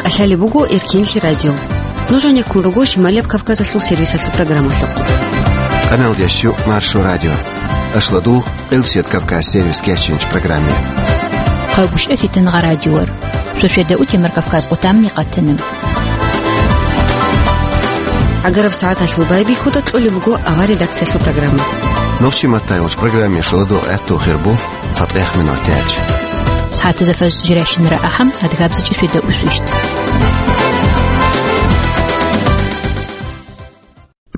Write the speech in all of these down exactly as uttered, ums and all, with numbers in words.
Лъалеб буго Эркенлъи радио. Нуж гьанеккун руго Шималияб Кавказалъул сервисалъул программалъухъ. Канал дящу Маршо радио. Ашладу Къилсият Кавказ сервис кечинч программе. Хъагушев Фитангъа радиор. Шошеда утемар Кавказ къутамни къатанам. Агараб сагӀаталъул байбихьуда кьолеб буго авар редакциялъул программа. Нурчи Маттайович программе шоладу гӀатту хирбу. ЦатӀех минутач. СагӀатазда фажр жирашинара ахӀам, адгабзачӀи шведа усвищт.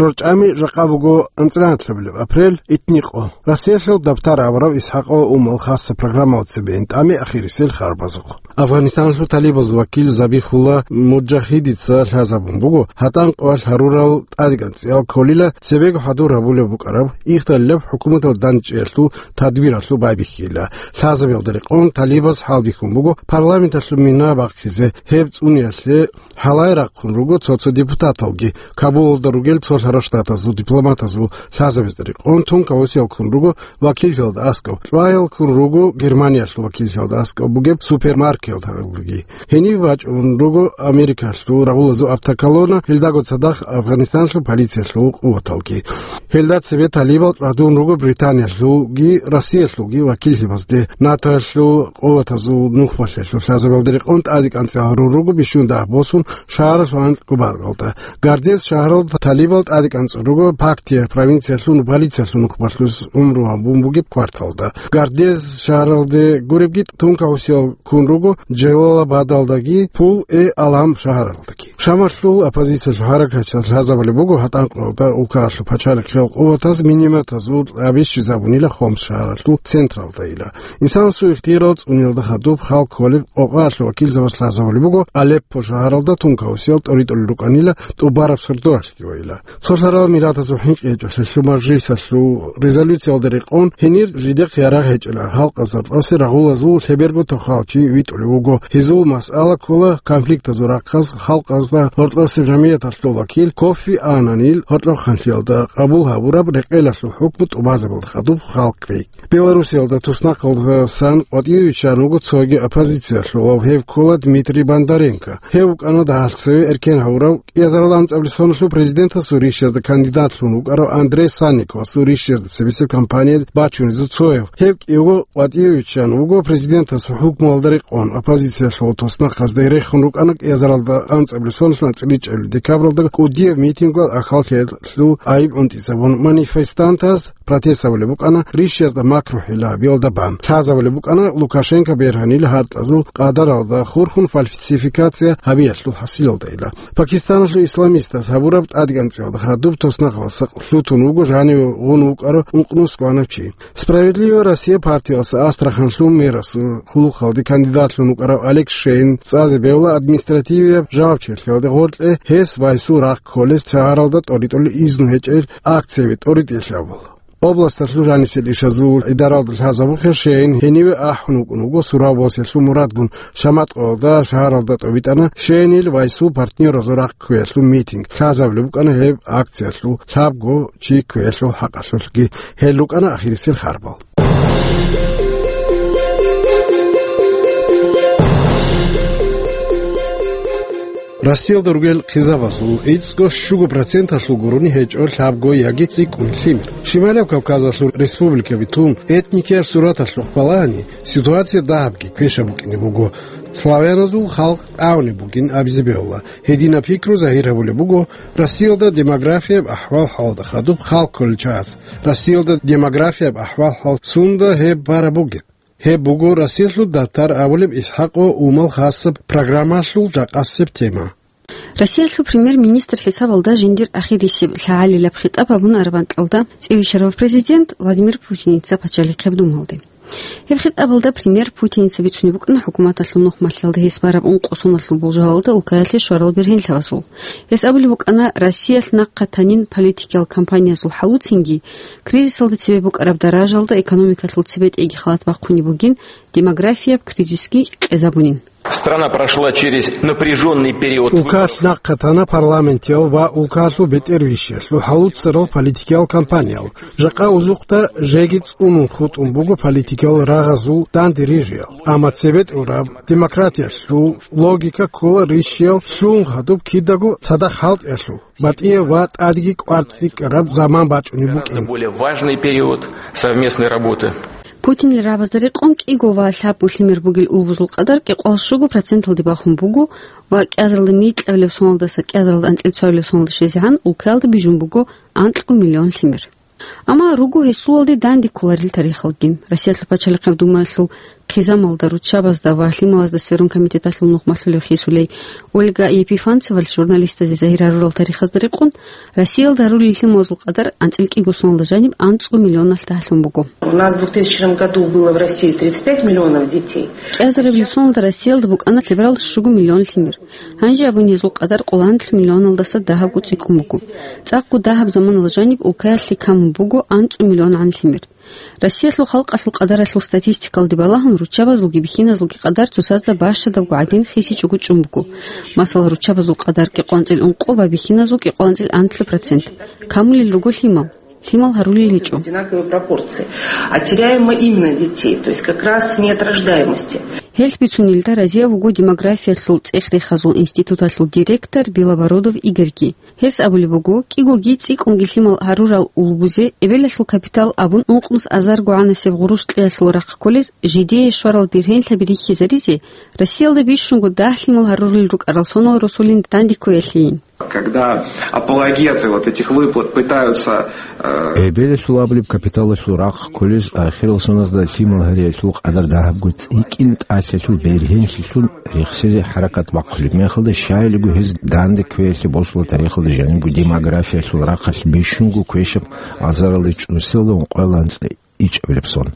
РорчӀами жакъа буго анцӀранатлъабилеб апрель, итникъо. Россиялъул Дабтар абурав ИсхӀакъо умал хасса программалда цебе интӀами ахирисел харбазухъ. Афганистаналъул талибаз вакил Забихулла Муджахидица лъазабун буго, гьатӀан къоялъ гьарурал тӀадегӀан цӀиял кколила цебего хӀадур гьабулеб букӀараб, ихдалилаб хӀукуматал дандчӀиялъул тадбиралъул байбихьила. Лъазабиялда рекъон талибаз хӀалбихьун буго парламенталъул мина бахъизе, гьеб цӀуниялъе гьалай рахъун руго цо-цо депутаталги, Кабулалда ругел цо лъара штатазул дипломатазул лъазабазда рекъон тункал осиялккун руго вакиллъиялда аскӀов, чӀваялккун руго Германиялъул вакиллъиялда аскӀов бугеб супермаркеталги. Гьенив бачӀун руго Америкалъул рагъулазул автоколонна, гьелдаго цадахъ Афганистаналъул полициялъул къуваталги. Гьелда цебе талибал чӀвадун руго Британиялъулги Россиялъулги вакиллъибазде, НАТОялъул къуватазул нухбалъиялъул лъазабиялда рекъон тӀадегӀан цӀиялъ гьарун руго бищун дагь босун шагьаралъул анкьго баркьалда. Гардес шагьаралда талибал тӀадегӀан цӀун руго Пактия провинциялъул полициялъул нухбалъулъ гӀумру гьабун бугеб кварталда. Гардес шагьаралде гуребги тункал осиялккун руго Джалалабадалдаги Пул-э-Алам шагьаралдаги. Шамалъул оппозициялъул хӀаракатчиял лъазабулеб буго гьатӀан къоялда улкаялъул пачалихъиял къуватаз минометазул тӀаби щвезабунила Хомс шагьаралъул централдайила. Инсанасул ихтияр цӀуниялда хадуб халкъ кколеб къокъаялъул вакилзабаз лъазабулеб буго Алеппо шагьаралда тункал осиялъ тӀоритӀулел рукӀанила тӀубараб сордоялъги вайила. Цо лъарал миллатазул хӀинкъи гьечӀолъиялъул мажлисалъул резолюциялда рекъон гьенир жидехъ ярагъ гьечӀила халкъазда гьоркьосе рагъулазул лъеберго тохал чи витӀулев вуго. Гьезул масъала ккола конфликтазул рахъаз халкъазда гьоркьосеб жамигӀяталъул вакил Кофи Аннанил гьоркьохъанлъиялда къабул гьабураб рекъелалъул хӀукму тӀубазабулда хадуб халкъ кквей. Белоруссиялда туснахъалдасан къватӀиве виччан вуго цоги оппозициялъулав, гьев ккола Дмитрий Бондаренко. Гьев вукӀана дагьалъ цеве эркен гьавурав кӀиазарал анцӀабилеб соналъул президентасул ришязда кандидатлъун вукӀарав Андрей Санниковасул ришязда цебесеб кампания бачунезул цояв. Гьев кӀиявго къватӀиве виччан вуго президентасул хӀукмуялда рекъон. Оппозициялъул туснахъазда рехун рукӀана кӀиазаралда анцӀабилеб соналъул анцӀила чӀебилеб декабралда кӀудияб митинглъун ахал хьелъул гӀайиб гӀунтӀизабун манифестантаз. Протест гьабулеб букӀана ришязда макрухӀила гьабиялда бан. Лъазабулеб букӀана Лукашенко бергьанил гьартӀазул къадаралда хурхун фальсификация гьабиялъул хӀасилалдайила. Пакистаналъул исламистаз гьабураб тӀадегӀан цӀиялда хадуб туснахъалдаса лъутун вуго жаниве гъун вукӀарав ункънус кӀванав чи. «Справедливая Россия» партиялъ Астраханлъул мэрасул хъулухъалде кандидатлъун вукӀарав Олег Шейин цӀазе бегьула административияб жавабчилъиялда гъоркье гьес ва гьесул рахъ кколес шагьаралда тӀоритӀулел изну гьечӀел акцияби тӀоритӀелъ абула. Областалъул жанисел ишазул гӀидаралда лъазабухъе Шейин гьениве ахӀун вукӀун вуго сураб босиялъул мурадгун. Шаматкъоялда шагьаралда тӀобитӀана Шейинил ва гьесул партнёразул рахъ кквеялъул митинг. Лъазабулеб букӀана гьеб акциялъул лъабго чи кквеялъул хӀакъалъулъги. Гьел рукӀана ахирисел харбал. Россиялда ругел хъизабазул ицӀго щуго проценталъул гурони гьечӀо лъабго яги цӀикӀкӀун лъимер. Шималияб Кавказалъул республикаби тун, этникияр сураталъухъ балагьани, ситуация дагьабги квешаб букӀине буго. Славяназул халкъ тӀагӀунеб бугин абизе бегьула. Гьединаб пикру загьир гьабулеб буго Россиялда демографияб ахӀвал-хӀалда хадуб халкъ кколел чагӀаз. Россиялда демографияб ахӀвал-хӀал сунда гьеб бараб бугеб? Гьеб буго Россиялъул Дабтар абулеб ИсхӀакъо умал хасаб программалъул жакъасеб тема. Россиялъул премьер-министр хӀисабалда жиндир ахирисеб лъагӀалилаб хитӀаб гьабун араб анкьалда цӀивищарав президент Владимир Путиница пачалихъеб думалде. Гьеб хитӀабалда премьер Путиница бицунеб букӀана хӀукуматалъул нухмалъиялда гьес бараб ункъо соналъул болжалалда улкаялъе щварал бергьенлъабазул. Гьес абулеб букӀана, Россиялъ нахъа танин политикиял кампаниязул хӀалуцинги, кризисалда цебе букӀараб даражалда экономикалъул цебетӀейги халат бахъунеб бугин, демографияб кризисги къезабунин. Страна прошла через напряженный период. Улкалъ нахъе тана парламентиял ва улкалъул бетӀервищиялъул хӀалуцарал политикиял кампаниял. Жакъа узухъда жеги цӀунун хутӀун буго политикиял рагъазул данде рижиял. Амма цебетӀураб демократиялъул логика ккола рищиял лъун гьадуб кидаго цадахъ хӀалтӀиялъул, батӀияб ва тӀадги кӀвар цӀикӀкӀараб заман бачӀунеб букӀин. Более важный период совместной работы. Путинил рагӀабазда рекъон кӀиго ва лъабго лъимер бугел улбузул къадар кӀикъоялда щуго проценталде бахун буго ва кӀиазаралда микьабилеб соналдаса кӀиазаралда анцӀила цоабилеб соналде щвезегӀан улкаялда бижун буго анкьго миллион лъимер. Амма руго гьесулалде данде кколарел тарихалги. Россиялъул пачалихъаб думаялъул хъизамалда, руччабазда ва лъималазда сверун комитеталъул нухмалъулев хисулей Ольга Епифанцевалъ журналистазе загьир гьарурал тарихазда рекъон, Россиялда гьарулел лъималазул къадар анцӀила кӀиго соналда жаниб анцӀго миллионалъ дагьлъун буго. У нас в двухтысячном году было в России тридцать пять миллионов детей. КӀиазарабилеб соналда Россиялда букӀана лъеберал щуго миллион лъимер. Гьанже абун гьезул къадар къоланлъ миллионалдаса дагьабго цӀикӀкӀун буго. ЦӀакъго дагьаб заманалда жаниб улкаялъе камун буго анцӀго миллионгӀан лъимер. Россиялъул халкъалъул къадаралъул статистикалде балагьун, руччабазулги бихьиназулги къадар цоцазда бащадабго гӀадин хисичӀого чӀун буго. Масала, руччабазул къадар кӀикъоялда анцӀила ункъо ва бихьиназул кӀикъоялда анцӀила анлъго процент. Камулел руго лъимал. Лъимал гьарулел гьечӀо. Одинаковые пропорции. А теряем мы именно детей, то есть как раз нет рождаемости. Гьелъ бицунелда разияб вуго демографиялъул цӀех-рехазул институталъул директор Белобородов Игорьги. Гьес абулеб буго, кӀигоги цӀикӀкӀунги лъимал гьарурал улбузе эбелалъул капитал абун ункънус азарго гӀанасеб гъурущ кьеялъул рахъ кколез жидее щварал бергьенлъаби рихьизаризе, Россиялда бищунго дагь лъимал гьарурел рукӀарал сонал росулин данде кквеялъейин. Когда апологеты вот этих выплат пытаются, э, Эбелалъул абулеб капиталалъул рахъ кколез ахирал соназда лъимал гьариялъул къадар дагьабго цӀикӀкӀин тӀалъалъул бергьенлъилъун рехсезе хӀаракат бахъулеб мехалда, щайилго гьез данде кквеялъе босула тарихалда жанибго демографиялъул рахъалъ бищунго квешаб азаралда чӀунселда ункъоялда анцӀила ичӀабилеб сон.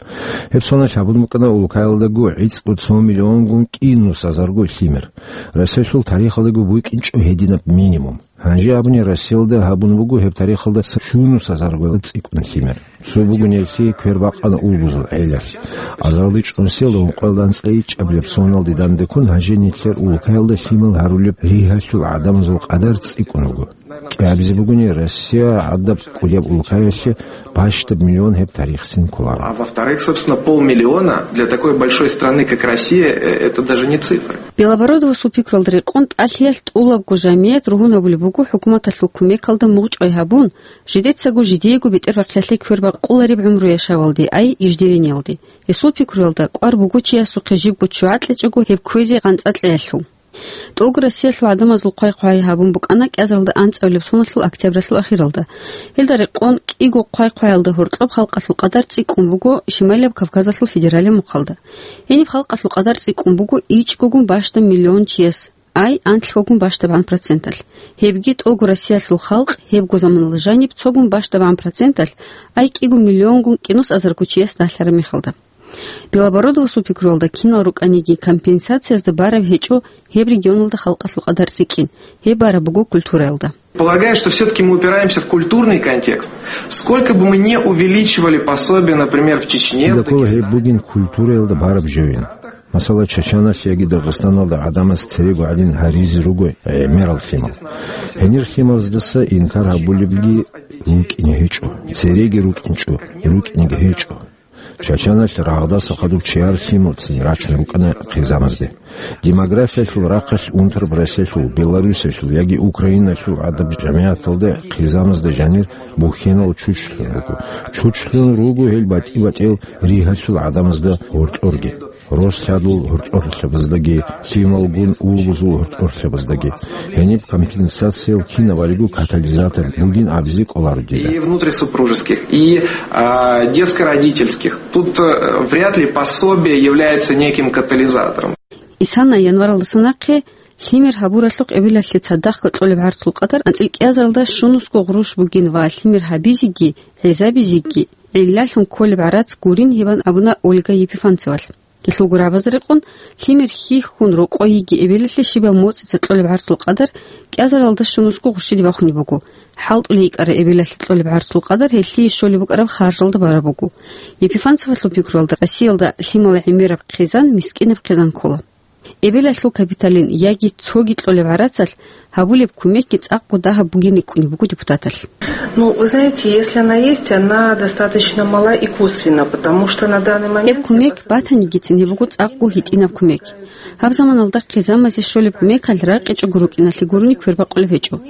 Гьеб соналъ гьабун букӀана улкаялдаго гӀицӀго цо миллионгун кӀинус азарго лъимер. Россиялъул тарихалдаго букӀинчӀо гьединаб минимум. Гьанже абуни, Россиялда гьабун буго гьеб тарихалда щунус азарго цӀикӀкӀун лъимер. Цо бугони гьелъие квер бакъана улбузул гӀелалъ. Азаралда чӀунселда ункъоялда анцӀила ичӀабилеб соналде данде ккун гьанже нилъер улкаялда лъимал гьарулеб ригьалъул гӀадамазул къадар цӀикӀкӀун вуго. КӀиабизе бугони, Россия гӀадаб кӀудияб улкаялъе бащдаб миллион гьеб тарихцин кколаро. А во-вторых, собственно, полмиллиона для такой большой страны, как Россия, э, это даже не цифры. Белобородовасул пикруялда рекъон, тӀалъиялъ тӀулабго жамият ругьун гьабулеб буго хӀукуматалъул кумекалда мугъчӀвай гьабун, жидецаго жидеего бетӀербахъиялъе квер бакъулареб гӀумру яшавалде, ай иждивениялде. Гьесул пикруялда, кӀвар буго чиясухъе жибго ччугӀа кьечӀого гьеб кквезе гъанцӀа кьеялъул. ТӀолго Россиялъул гӀадамазул хъвай-хъвай гьабун букӀана кӀиазаралда анцӀабилеб соналъул октябралъул ахиралда. Гьелда рекъон кӀиго хъвай-хъваялда гьоркьоб халкъалъул къадар цӀикӀкӀун буго Шималияб Кавказалъул федералияб мухъалда. Гьениб халкъалъул къадар цӀикӀкӀун буго ичӀгогун бащдаб миллион чияс, ай анлъгогун бащдабгӀан проценталъ. Гьебги тӀолго Россиялъул халкъ гьебго заманалда жаниб цогун бащдабгӀан проценталъ, ай кӀиго миллионгун кӀинус азарго чияс дагьлъараб мехалда. Белобородовасул пикруялда, кинал рукӀаниги компенсациязда бараб гьечӀо гьеб регионалда халкъалъул къадар цӀикӀкӀин, гьеб бараб буго культураялда. Полагаю, что всё-таки мы упираемся в культурный контекст. Сколько бы мы не увеличивали пособия, например, в Чечне, в Дагестане. Кида ккола гьеб бугин культураялда бараб жоян. Масала, Чачаналъ яги Дагъистаналда гӀадамаз церего гӀадин гьаризе руго гӀемерал лъимал. Гьенир лъимаздаса инкар гьабулебги рукӀине гьечӀо, цереги рукӀинчӀо, рукӀинеги гьечӀо. Чачаналъ рагъдаса хадуб чияр лъималцин рачун рукӀана хъизамазде. Демографиялъул рахъалъ унтараб Россиялъул, Беларусиялъул яги Украиналъул гӀадаб жамигӀаталда хъизамазда жанир бухьенал чучлъун руго. Чучлъун руго гьел батӀи-батӀиял ригьалъул гӀадамазда гьоркьорги, рос-лъадул гьоркьорлъабаздаги, лъималгун улбузул гьоркьорлъабаздаги. Гьениб компенсациял кинаб балебго катализатор бугин абизе кӀоларо дида. И внутрисупружеских, и, а, детско-родительских. Тут, э, вряд ли пособие является неким катализатором. Исана январалдаса нахъе лъимер гьабуралъухъ эбелалъе цадахъ кьолеб гӀарцул къадар анцӀила кӀиазаралда щунусго гъруш бугин ва лъимер гьабизеги, гӀезабизеги гӀиллалъун кколеб гӀарац гурин гьебан абуна Ольга Епифанцевалъ. Гьелъул гурабазда рекъон, лъимер хьихьун рокъой йиги эбелалъе щибаб моцӀица кьолеб гӀарцул къадар кӀиазаралда щунусго гъурщиде бахунеб буго. ХӀалтӀулей йикӀарай эбелалъе кьолеб гӀарцул къадар гьелъие щолеб букӀараб харжалда бараб буго. Епифанцевалъул пикруялда, Россиялда лъимала гӀемераб хъизан мискӀинаб хъизан ккола. эбелалъул капиталин яги цоги кьолеб гӀарацалъ гьабулеб кумекги цӀакъго дагьаб бугин рикӀкӀунеб буго депутаталъ. Ну, вы знаете, если она есть, она достаточно мала и косвенна, потому что на данный момент... Гьеб кумек батанигицин гьеб буго цӀакъго гьитӀинаб кумек. Гьаб заманалда хъизамазе щолеб кумекалъ ракъичӀого рукӀиналъе гурони квербакъулеб гьечӀо.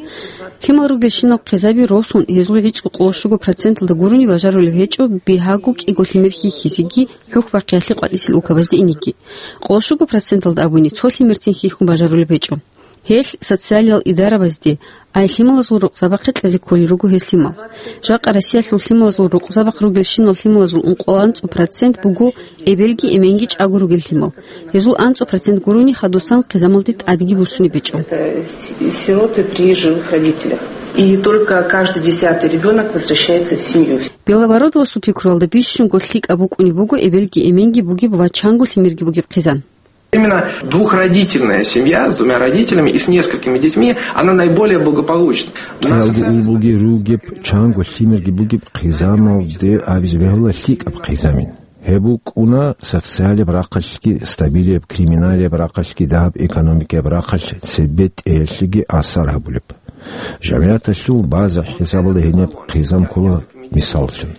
Лъимал ругелщинал хъизаби росун, гьезул гӀицӀго къоло щуго проценталда гурони бажарулеб гьечӀо бигьаго кӀиго лъимер хьихьизеги хӀухьбахъиялъе къватӀисел улкабазде инеги. Къоло щуго проценталда абуни цо лъимерцин хьихьун бажарулеб гьечӀо. Гьелъ социалиял идарабазде, ай лъималазул рукъзабахъе кьезе кколел руго гьез лъимал. Жакъа Россиялъул лъималазул рукъзабахъ ругелщинал лъималазул ункъоялда анцӀго процент буго эбелги эменги чӀаго ругел лъимал. Гьезул анцӀго процент гурони хадусан хъизамалде тӀадги буссунеб гьечӀо. Это си-, сироты при живых родителях. И только каждый десятый ребёнок возвращается в семью. Белобородовасул пикруялда бищунго лъикӀаб букӀунеб буго эбелги эменги бугеб ва чанго лъимерги бугеб хъизан. Именно двухродительная семья с двумя родителями и с несколькими детьми, она наиболее благополучна. У нас... КӀиялги улбуги ругеб, чанго лъимерги бугеб хъизамалде абизе бегьула лъикӀаб хъизамин. Гьеб букӀуна социалияб рахъалъги, стабилияб криминалияб рахъалъги, дагьаб экономикаяб рахъалъ цебетӀеялъеги асар гьабулеб. ЖамигӀаталъул база хӀисабалда гьениб хъизан ккола мисаллъун.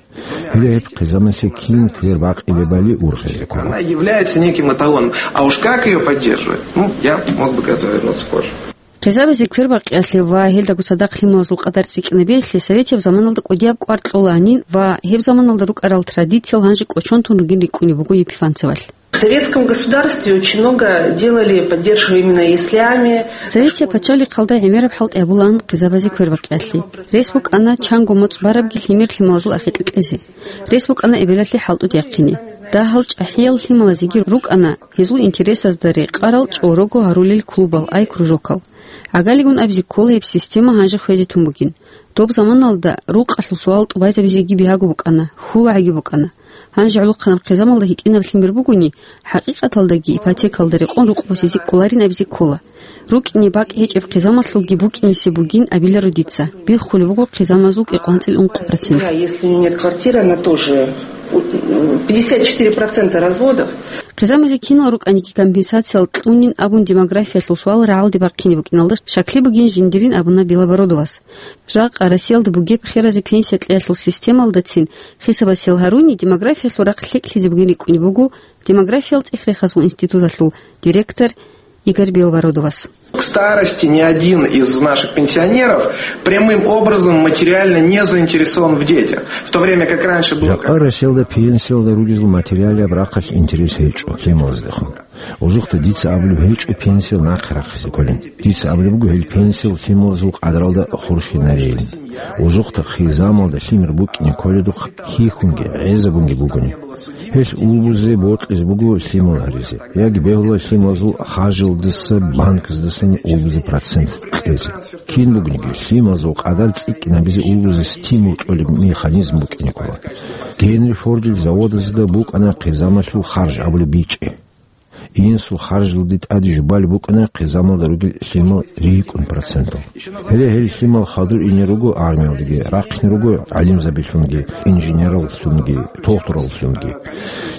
Гьеле гьеб хъизамалъе кин квер бакъилебали ургъизе ккола. Она является неким эталоном. А уж как её поддерживать? Ну, я мог бы к этому вернуться позже. Хъизабазе квер бакъиялъе ва гьелдаго цадахъ лъималазул къадар цӀикӀкӀинабиялъе советияб заманалда кӀудияб кӀвар кьоланин ва гьеб заманалда рукӀарал традициял гьанже кӀочон тун ругин рикӀкӀунеб буго Епифанцевалъ. В советском государстве очень много делали, поддерживая именно яслями. Советияб пачалихъалда гӀемераб хӀалтӀи гьабулаан хъизабазе квер бакъиялъе. Рес букӀана чанго моцӀ барабги лъимер лъималазул ахикьа кьезе. Рес букӀана эбелалъе хӀалтӀуди яхъине. Дагьал чӀахӀиял лъималазеги рукӀана гьезул интересазда рекъарал чӀорого гьарулел клубал, ай кружокал. ГӀагалигун абизе ккола гьеб система гьанже хвезе тун бугин. Доб заманалда рукъалъул суал тӀубайзабизеги бигьаго букӀана, хьулагӀаги букӀана. Гьанже гӀолохъанаб хъизамалда гьитӀинаб лъимер бугони, хӀакъикъаталдаги ипотекалда рекъон рукъ босизе кӀоларин абизе ккола. РукӀине бакӀ гьечӀеб хъизамалъулги букӀинисе бугин абиларо дица. Биххулеб буго хъизамазул кӀикъоанцӀил ункъо процент. Да, если у неё нет квартиры, она тоже, у, пятьдесят четыре процента разводов. Хъизамазе кинал рукӀаниги компенсациялъ кьунин абун демографиялъул суал рагӀалде бахъине букӀиналда щаклъи бугин жиндирин абуна Белобородовас. Жакъа Россиялда бугеб херазе пенсия кьеялъул системалдацин хисабасел гьаруни, демографиялъул рахъ лъикӀлъизе бугин рикӀкӀунеб буго Демографиял цӀихрехазул институталъул директор Игорь Белобородовас. К старости ни один из наших пенсионеров прямым образом материально не заинтересован в детях, в то время как раньше было... Жакъа Россиялда пенсиялда ругезул материалияб рахъалъ интерес гьечӀо лъималаздехун. Ужухъа дица абулеб гьечӀо пенсиял нахъе рахъизе кколин. Дица абулеб буго гьел пенсиял лъималазул къадралда хурхинарейин. Ужухъа хъизамалда лъимер букӀине кколедухъ хьихьунги, гӀезабунги бугони. Гьелъ улбузе бокьизе буго лъимал гьаризе, яги бегьула лъималазул харжилдаса банказдасан улбузе процент кьезе. Кин бугониги, лъималазул къадар цӀикӀкӀинабизе улбузе стимул кьолеб механизм букӀине ккола. Генри Фордил заводазда букӀана хъизамалъул харж абулеб бичӀчӀи. Инсул харжилде тӀаде жубалеб букӀана хъизамалда ругел лъимал рикӀкӀун процентал. Гьеле гьел лъимал хадур ине руго армиялдаги, рахъине руго гӀалимзабилъунги, инженераллъунги, дохтураллъунги.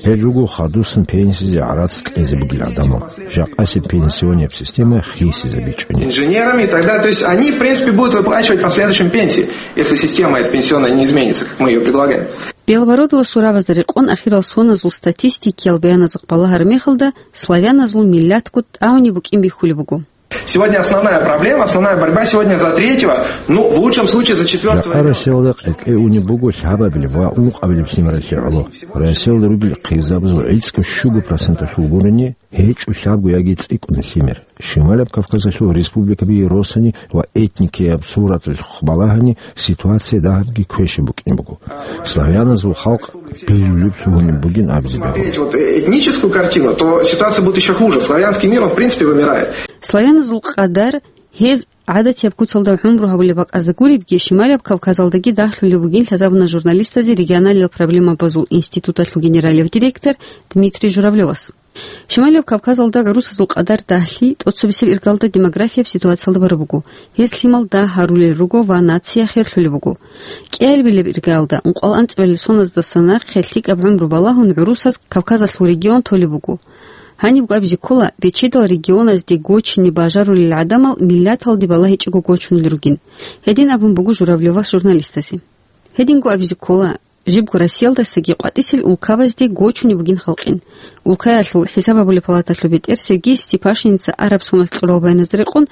Гьел руго хадусан пенсиялде гӀарац кьезе бугел гӀадамал, жакъасеб пенсионияб система хисизабичӀони. Инженерами и так далее. То есть они, в принципе, будут выплачивать в последующем пенсии, если система эта пенсионная не изменится, как мы её предлагаем. Белобородовасул рагӀабазда рекъон ахирал соназул статистикиял баяназухъ балагьараб мехалда, славяназул миллатго тӀагӀунеб букӀин бихьулеб буго. Сегодня основная проблема, основная борьба сегодня за третьего, ну, в лучшем случае за четвёртого ребёнка. Жакъа Россиялда къекъеунеб буго лъабабилеб ва ункъабилеб лъимералъе гӀоло. Россиялда ругел хъизабазул гӀицӀго щуго проценталъул гурони гьечӀо лъабго яги цӀикӀкӀун лъимер. Шималаб Кавказалъул республикаби росани ва этникияб сураталъухъ балагьани, ситуация дагьабги квешаб букӀин буго. Славяназул халкъ билулеб лъугьунеб бугин абизе бегьула. Смотреть вот, э, этническую картину, то ситуация будет ещё хуже. Славянский мир, он, в принципе, вымирает. Славяназул къадар, гьез гӀадатияб куцалда гӀумру гьабулеб бакӀазда гуребги, Шималаб Кавказалдаги дагьлъулеб бугин лъазабуна журналистазе регионалиял проблемабазул институталъул генералияб директор Дмитрий Журавлёвас. Шималияб Кавказалда гӀурусазул къадар дагьлъи тӀоцебесеб иргалда демографияб ситуациялда бараб буго. Гьез лъимал дагь гьарулел руго ва нация херлъулеб буго. КӀиабилеб иргалда, ункъоялда анцӀабилеб соназдаса нахъе лъикӀаб гӀумру балагьун, гӀурусаз Кавказалъул регион толеб буго. Гьанибго абизе ккола, бечедал регионазде гочине бажарулел гӀадамал миллаталде балагьичӀого гочунел ругин. Гьедин абун буго Журавлевас журналистазе. Гьединго абизе ккола, жибго Россиялдасаги къватӀисел улкабазде гочунеб бугин халкъин. Улкаялъул хӀисаб гьабулеб палаталъул бетӀер Сергей Степашинца араб соналъ кьурал баяназда рекъон,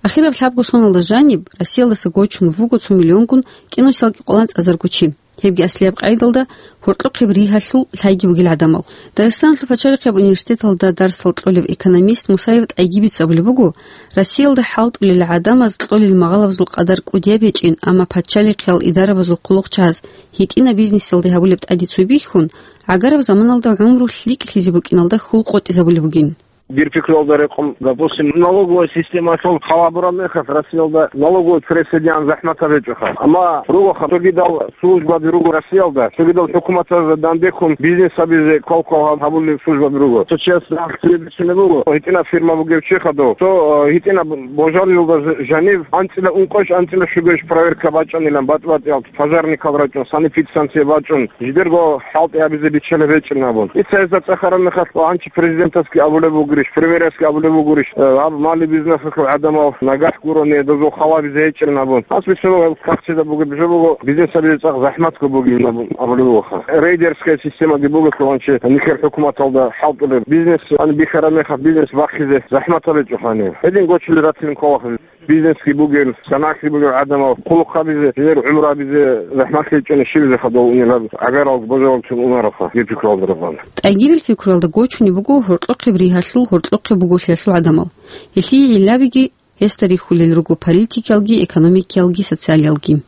ахираб лъабго соналда жаниб Россиялдаса гочун вуго цо миллионгун кӀинусиялги къоланцӀазарго чи. Гьебги аслияб къайдалда гьоркьохъеб ригьалъул лъайги бугел гӀадамал. Дагъистаналъул пачалихъияб университеталда дарсал кьолев экономист Мусаев ТӀайгибица абулеб буго, Россиялда хӀалтӀулел гӀадамаз кьолел магъалабазул къадар кӀудияб гьечӀин, амма пачалихъиял идарабазул хъулухъчагьаз гьитӀинаб бизнесалде гьабулеб тӀаде цо бихьун, гӀагараб заманалда гӀумру лъикӀлъизе букӀиналда хьул къотӀизабулеб бугин. Дир пикруялда рекъон, допустим, налоговая системалъул хал гьабураб мехалъ, Россиялда налоговый прессадиан захӀматаб гьечӀоха. Амма ругоха, цогидал службаби руго Россиялда, цогидал хӀукуматазда дандехун бизнес гьабизе квал-квал гьаб-, гьабулел службаби руго. Цо чияс рахъ цебе бицунеб буго, гьитӀинаб фирма бугев чи хадув, цо, э, гьитӀинаб божарилда ж-, жанив анцӀила ункъош, анцӀила щугош проверка бачӀанилан, батӀ-батӀиялъ пожарникал рачӀун, санэпидстанция бачӀун, жидерго хӀалтӀи гьабизе биччалеб гьечӀин абун. Дица гьезда цӀехараб мехалъ, гьанчи президентасги абулеб бугурищ, премьерасги абулеб бугурищ, э, гьаб мали-бизнесалъул гӀадамал нагагь гурони, дозул хал гьабизе гьечӀин абун. Гьас бицунеб гьеб кагътида бугеб жо буго, бизнес гьабизе цӀакъ захӀматго бугин абун абулеб бугоха. Рейдерская системаги бугелъул гьанчи нилъер хӀукуматалда хӀалтӀулеб бизнес, ан бихьараб мехалъ бизнес бахъизе захӀматаб гьечӀоха гьаниб. Гьедин гочулел ратилин кколаха. Бизнесги бугел, санагӀги бугел гӀадамал хъулухъ гьабизе, гьезер гӀумру гьабизе захӀмат гьечӀони щибизе хадув унел гьаб гӀагарал божаралцун унароха, гьеб пикруялда рекъон. ТӀайгибил пикруялда гочунеб буго гьоркьохъеб ригьалъул, гьоркьохъеб бугорлъиялъул гӀадамал. Гьелъие гӀиллаги гьесда рихьулел руго политикиялги, экономикиялги, социалиялги.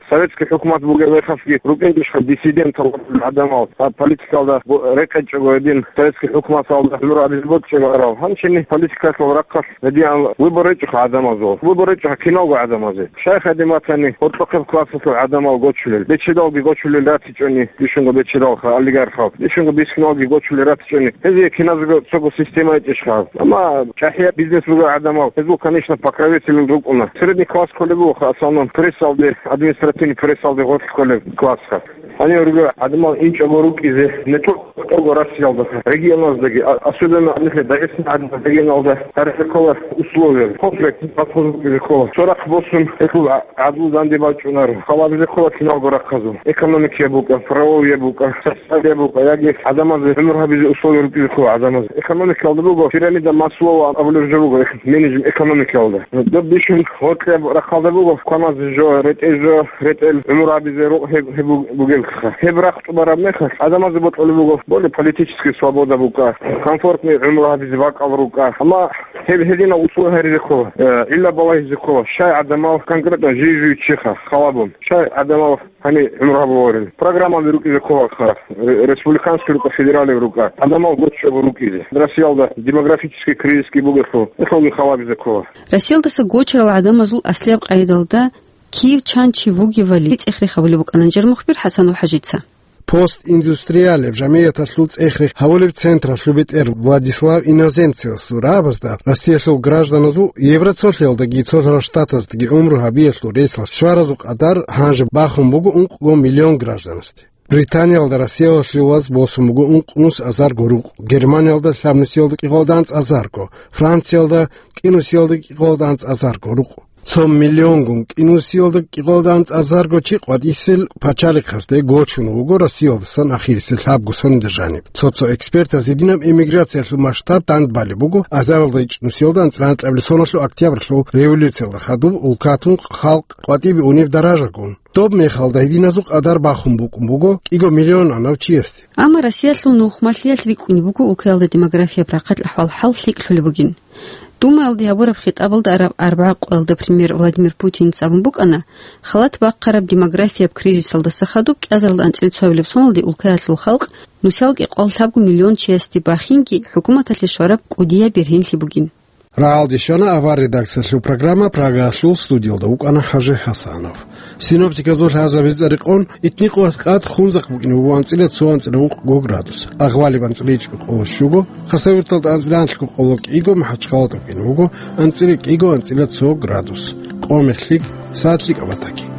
Советский хӀукумат бугеб мехалъги рукӀиндешха диссидентал гӀадамал, а, политикалда бо-, рекъечӀого гьедин советский хӀукуматалда гӀумру гьабизе бокьчӀого арал. Гьанчини политикалъул рахъалъ гьедин выбор гьечӀоха гӀадамазул. Выбор гьечӀоха киналго гӀадамазе. Щай гьадин батани, гьоркьохъеб классалъул гӀадамал гочулел, бечедалги гочулел ратичӀони, бищунго бечедалха, олигархал, бищунго бихьиналги гочулел ратичӀони, гьезие киназего цого система гьечӀищха. Амма чӀахӀияб бизнес бугел гӀадамал, гьезул, конечно, покровитель рукӀуна. Средний класс кколеб бугоха, в основном, прессалде, административный прессалде гъорлъ кколеб классха. Гьанив руго гӀадамал инчӀого рукӀизе, не только Россиялда, регионаздаги, а-, особенно нилъер Дагъистан гӀадамал регионалда гьарихъе ккола условия, комплект подход букӀизе ккола. Цо рахъ босун, гьелъул гӀа-, гӀадлу данде бачӀунар, хал гьабизе ккола киналго рахъазул. Экономикияб букӀа, правовияб букӀа, социалияб букӀа, яги гӀадамазе гӀумру гьабизе условия рукӀизе ккола гӀадамазе. Экономикалда буго пирамида Маслоу абулеб жо буго, менеджмент экономикалда. Доб бищун гьоркьоб рахъалда буго, кваназе жо, ретӀел жо, ретӀел гӀумру гьабизе рукъ гьеб, гьеб буг-, бугебха. Гьеб рахъ тӀубараб мехалъ, гӀадамазе бокьулеб буго, более политический свобода букӀа, комфортный гӀумру гьабизе бакӀал рукӀа. Амма гьеб гьединал условия гьаризе ккола, э, гӀилла балагьизе ккола, щай гӀадамал конкретно жий-жуй чиха, халабун, щай гӀадамал гьаниб гӀумру гьабуларин. Программаби рукӀизе кколаха, ре-, республиканский рукӀа, федералив рукӀа, гӀадамал гоччого рукӀизе. Россиялда демографический кризисги бугелъул, гьелъулги халабизе ккола. Россиялдаса гочарал гӀадамазул аслияб къайдалда кив чан чи вугевали цӀех-рех гьабулеб букӀана жанир мухбир ХӀасанов ХӀажица. Постиндустриалеб жамияталъул цӀех-рех гьабулеб централъул бетӀер Владислав Иноземцевасул рагӀабазда Россиялъул гражданазул Евроцолъиялдаги Цолъарал Штатаздаги гӀумру гьабиялъул ресалъ щваразул къадар гьанже бахун буго ункъго миллион гражданасде. Британиялда Россиялъулаз босун буго ункънус азарго рукъ, Германиялда лъабнусиялда кӀикъоялда анцӀазарго, Франциялда кӀинусиялда кӀикъоялда анцӀазарго рукъ. Цо миллионгун кӀинусиялда кӀикъоялда анцӀазарго чи къватӀисел пачалихъасде гочун вуго Россиялдасан ахирисел лъабго соналда жаниб. Цо-цо экспертаз гьединаб эмиграциялъул масштаб дандбалеб буго азаралда ичӀнусиялда анцӀила анкьабилеб соналъул октябрьлъул революциялда хадуб улкатун халкъ къватӀибе унеб даражагун. Доб мехалда гьединазул къадар бахун букӀун буго кӀиго миллионанав чиясде. Амма Россиялъул нухмалъиялъ рикӀкӀунеб буго улкаялда демографияб рахъалъ ахӀвал-хӀал лъикӀлъулеб бугин. Думаялде гьабураб хитӀабалда араб арбагӀа къоялда премьер Владимир Путинца абун букӀана, халат бахъараб демографияб кризисалдаса хадуб кӀиазаралда анцӀила цоабилеб соналде улкаялъул халкъ нусиялги кӀикъоялда лъабго миллион чиясде бахинги хӀукуматалъе щвараб кӀудияб бергьенлъи бугин. РагӀалде щвана авар редакциялъул программа, Прагаялъул студиялда вукӀана ХӀажи ХӀасанов. Синоптиказул лъазабизе рекъон, итникъоялъ къад Хунзахъ букӀине буго анцӀила цо анцӀила ункъго градус, Агъвалиб анцӀила ичӀго къоло щуго, Хасавюрталда анцӀила анлъго къоло кӀиго, МахӀачхъалада букӀине буго анцӀила кӀиго анцӀила цо градус. Къо-мех лъикӀ, сагӀат лъикӀаб батаги.